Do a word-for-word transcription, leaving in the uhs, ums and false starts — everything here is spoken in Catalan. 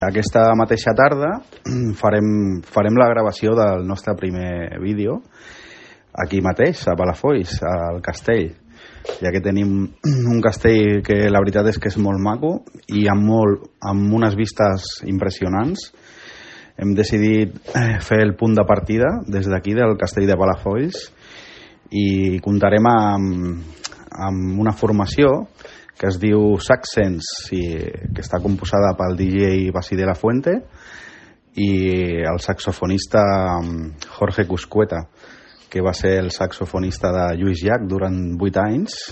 Aquesta mateixa tarda farem, farem la gravació del nostre primer vídeo aquí mateix, a Palafolls, al castell, ja que tenim un castell que la veritat és que és molt maco i amb, molt, amb unes vistes impressionants. Hem decidit fer el punt de partida des d'aquí, del castell de Palafolls, i comptarem amb, amb una formació que es diu Saxens, i que està composada pel D J Basi de la Fuente i el saxofonista Jorge Cuscueta, que va ser el saxofonista de Lluís Llach durant vuit anys